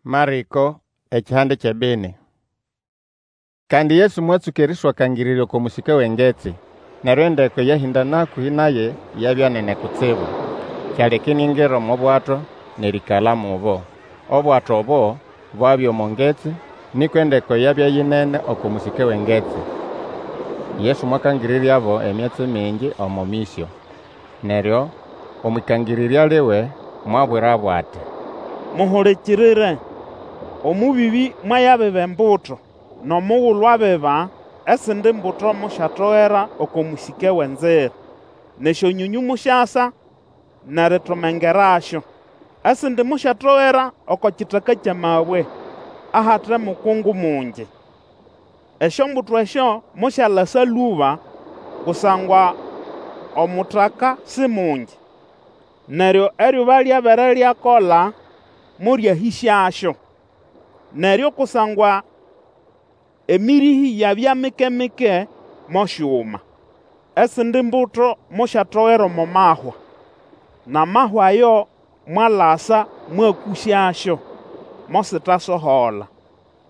Marĩko ekihande ky'ebini. Kandi Yesu mwatsũka erĩswakangĩrĩrya oko mũsĩke w'engetsi. Neryo endeko eyahĩndana hakũhĩ naye yabya nene kutsibu, kyaleka iniangira omo bwato n'erĩĩkala mubo. Obwato obo bwabya omo ngetsi, nĩkwa endeko yabya yinene oko mũsĩke w'engetsi. Yesu mwakangĩrĩryabo emyatsi mingi omo mĩsyo. Neryo omw'ĩkangĩrĩrya liwe mwabwirabo ati, Muhulikirire! Omũbĩbĩ mwayabiba embuto. N'omugulu abiba, esindi mbuto mosyatogera oko mũsĩke w'enzira, n'esyonyonyũ mosyasa n'eritomengerasyo. Esindi mosyatogera oko kitaka ky'amabwe, ahate mukungu mungi. Esyombuto esyo mosyalasa lũba, kusangwa omutaka si mungi. Neryo eryuba lyabere lyakola, moryahĩsyasyo. Neryo kusangwa emĩrĩhĩ yabya mike-mike, mosyuma. Esindi mbuto mosyatogera omo mahwa, n'amahwa ayo mwalasa mwakũsyasyo, mositasohola.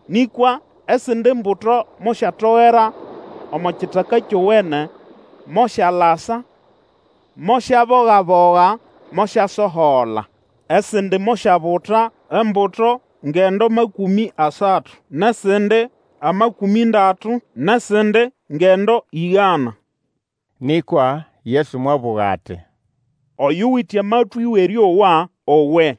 Nĩkwa esindi mbuto mosyatogera omo kitaka kyowene, mosyalasa, mosyaboga-boga, mosyasohola. Esindi mosyabuta embuto ngendo makũmĩ asatu, n'esindi amakũmĩ ndatu, n'esindi ngendo ĩgana. Nĩkwa Yesu mwabũga ati, Oyuwite amatwĩ w'erĩowa, owe.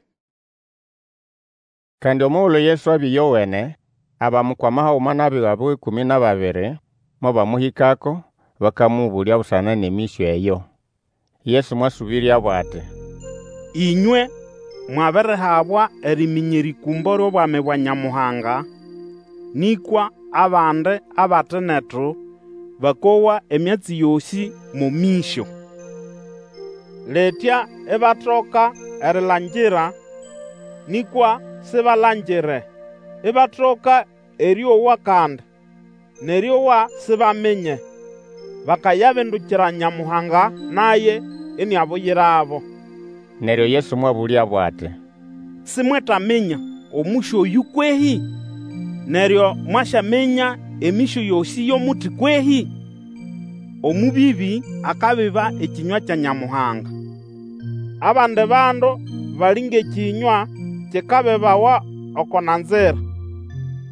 Kandi omugulu Yesu abya ĩyowene, abamukwama haguma n'abiga buwe ĩkũmĩ n'ababiri mobamũhĩkako, bakamũbũlya busana n'emĩsyo eyo. Yesu mwasũbĩryabo ati, Ĩnywe mwabirihabwa eriminya erĩkũmbo ly'obwami bwa Nyamuhanga, nĩkwa abandi abate netu bakowa emyatsi yosĩ mo mĩsyo. Litya ibatoka erilangira, nĩkwa sibalangire, ibatoka erĩowa kandi, n'erĩowa sibaminya, bakayabindukira Nyamuhanga, naye iniabuyirabo. Neryo Yesu mwabũlyabo ati, Simwetaminya omũsyo oyũ kwehĩ? Neryo mwasyaminya emĩsyo yosĩ y'omuti kwehĩ? Omũbĩbĩ akabiba ekĩnywa kya Nyamuhanga. Abandi bandu bali ng'ekĩnywa kikabibawa oko nanzira,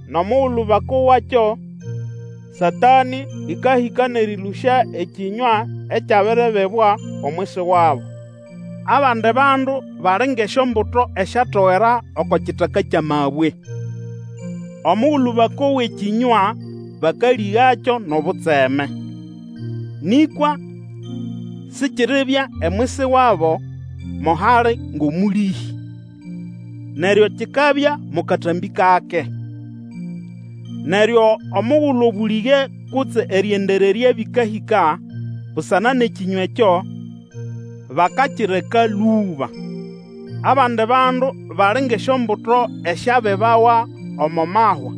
n'omugulu bakowakyo, Satanĩ ĩkahĩka n'erĩlũsya ekĩnywa ekyabiribibwa omwisi wabo. Abandi bandu bali ng'esyombuto esyatogera oko kitaka ky'amabwe. Omugulu bakowa ekĩnywa, bakalĩgakyo n'obutseme. Nĩkwa sikiribya emwisi wabo mo hali ng'omũlĩhĩ, neryo kikabya mo katambĩ kake. Neryo omugulu obũlĩge kutse erĩendererya bĩkahĩka busana n'ekĩnywa ekyo, bakakireka lũba. Abandi bandu bali ng'esyombuto esyabibawa omo mahwa.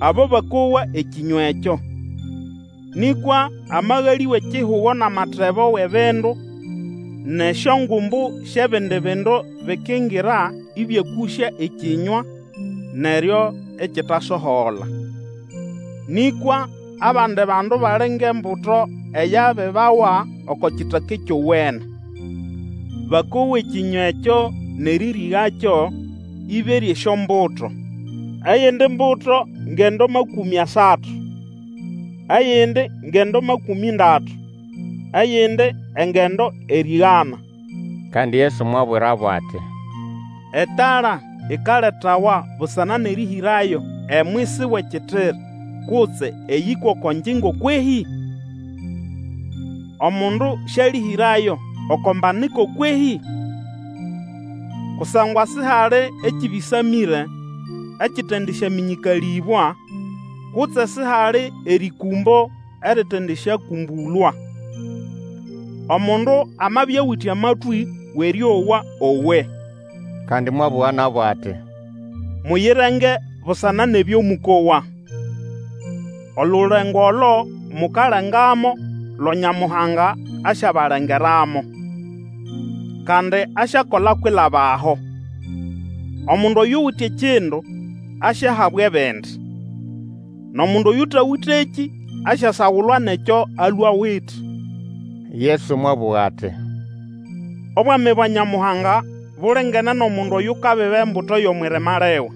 Abo bakowa ekĩnywa ekyo, nĩkwa amagalĩ w'ekihugo n'amatebo w'ebindu, n'esyongumbu sy'ebindi bindu bikingira ĩbyakũsya ekĩnywa, neryo ikitasohola. Nĩkwa abandi bandu bali ng'embuto eyabibawa oko kitaka kyowene. Bakowa ekĩnywa ekyo n'erĩrĩgakyo, ĩberya esyombuto. Eyindi mbuto ngendo makũmĩ asatu, eyindi ngendo makũmĩ ndatu, eyindi engendo erĩgana. Kandi Yesu mwabwirabo ati, Etala ikaletawa busana n'erĩhĩrayo emwisi w'ekitiri kutse eyĩkwa oko ngyingo kwehĩ? Omundu sĩalĩhĩrayo oko mbaniko kwehĩ? Kusangwa sihali ekĩbĩsamĩre ekitendisyamĩnyĩkalĩbwa, kutse sihali erĩkũmbo eritendisyakũmbũlwa. Omundu amabya awite amatwĩ w'erĩowa, owe. Kandi mwabũga nabo ati, Muyirenge busana n'ebyo mũkowa. Olulengo olo mukalengamo lo Nyamuhanga asyabalengeramo, kandi asyakola kwilaba aho. Omundu oyuwite ekindu asyahabwa ebindi, n'omundu oyũtawĩtekĩ asyasagulwa n'ekyo alwe awite. Yesu mwabũga ati, Obwami bwa Nyamuhanga bulingene n'omundu oyukabiba embuto y'omw'irima liwe.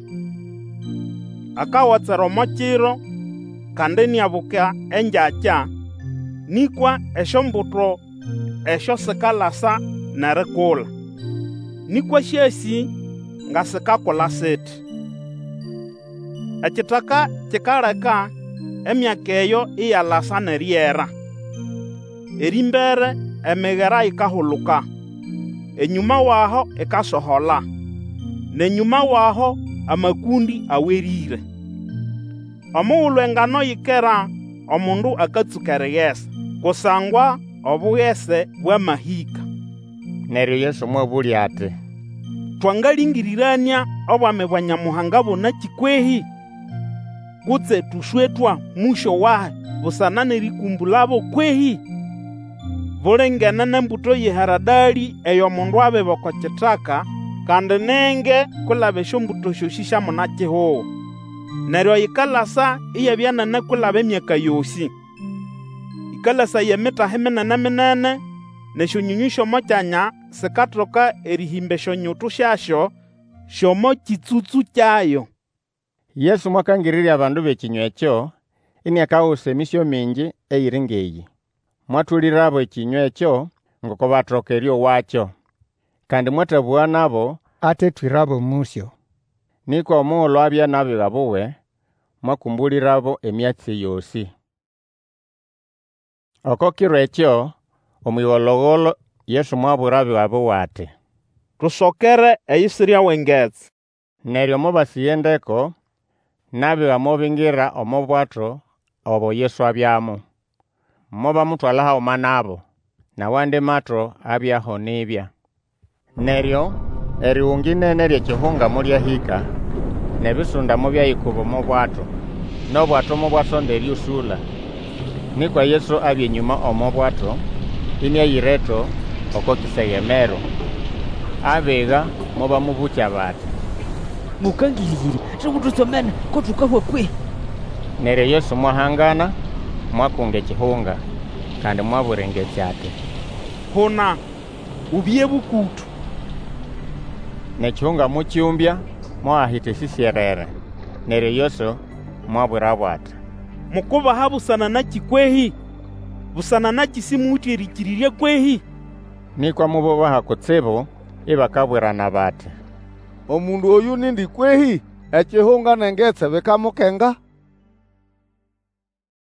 Akagotsera omo kiro, kandi iniabuka engyakya, nĩkwa esyombuto esyo sikalasa n'erikula, nĩkwa sĩasĩ nga sikakula siti. Ekitaka kikaleka emyaka eyo iyalasa n'eriera. Erĩmbere emigera ikahuluka, enyũma w'aho ikasohola, n'enyũma w'aho amakũndĩ awerĩre. Omugulu engano yikera, omundu akatsũka erigesa, kusangwa obugese bwamahĩka. Neryo Yesu mwabũlya ati, Twangalĩngĩrĩranĩa obwami bwa Nyamuhanga bo nakĩ kwehĩ? Kutse tũswetwa mũsyo wahi busana n'erĩkũmbũlabo kwehĩ? Bulingene n'embuto y'eharadalĩ eyo mundu abiba oko kitaka, kandi ni nge kwilaba esyombuto syosĩ sya muna-kihugo. Neryo ikalasa iyabya nene kwilaba emyaka yosĩ. Ĩkalasaya emitahi minene-minene, n'esyonyonyũ sy'omo kyanya sikatoka erĩhĩmba esyonyutu syasyo sy'omo kĩtsũtsũ kyayo. Yesu mwakangĩrĩrya abandu b'ekĩnywa ekyo, iniakagusa emĩsyo mingi eyiri ng'eyĩ. Mwatũlĩrabo ekĩnywa ekyo ngoko batoka erĩowakyo. Kandi mwatabũga nabo atetwĩrabo omũsyo. Nĩkwa omugulu abya n'abiga buwe, mwakũmbũlĩrabo emyatsi yosĩ. Oko kiro ekyo, omw'ĩgolo-golo, Yesu mwabwira abiga buwe ati, Tusokere eyisirya w'engetsi. Neryo mobasĩga endeko, n'abiga mobingira omo bwato obo Yesu abyamo, mobamutwala haguma nabo. N'awandi mato abyaho nibya. Neryo erigunga ĩnene ly'ekihunga molyahĩka, n'ebisunda mobyayikuba omo bwato, n'obwato mobwasonda erĩũsũla. Nĩkwa Yesu abya enyũma omo bwato, ĩnĩayireto oko kisegemero. Abiga mobamũbũkya bati, Mũkangĩrĩrya, Sigututsomene ko tukahwa kwehĩ? Neryo Yesu mwahangana, mwakunga ekihunga, kandi mwabwira engetsi ati, Huna, ubye bũkũtũ! N'ekihunga mokyũmbya, mohahita esĩsyerere. Neryo Yesu mwabwirabo ati, Mukubaha busana nakĩ kwehĩ? Busana nakĩ sĩmũwite erĩkĩrĩrya kwehĩ? Nĩkwa mobobaha kutsibu, ibakabwirana bati, Omundu oyũ nindi kwehĩ? Ekihunga n'engetsi bikamukenga.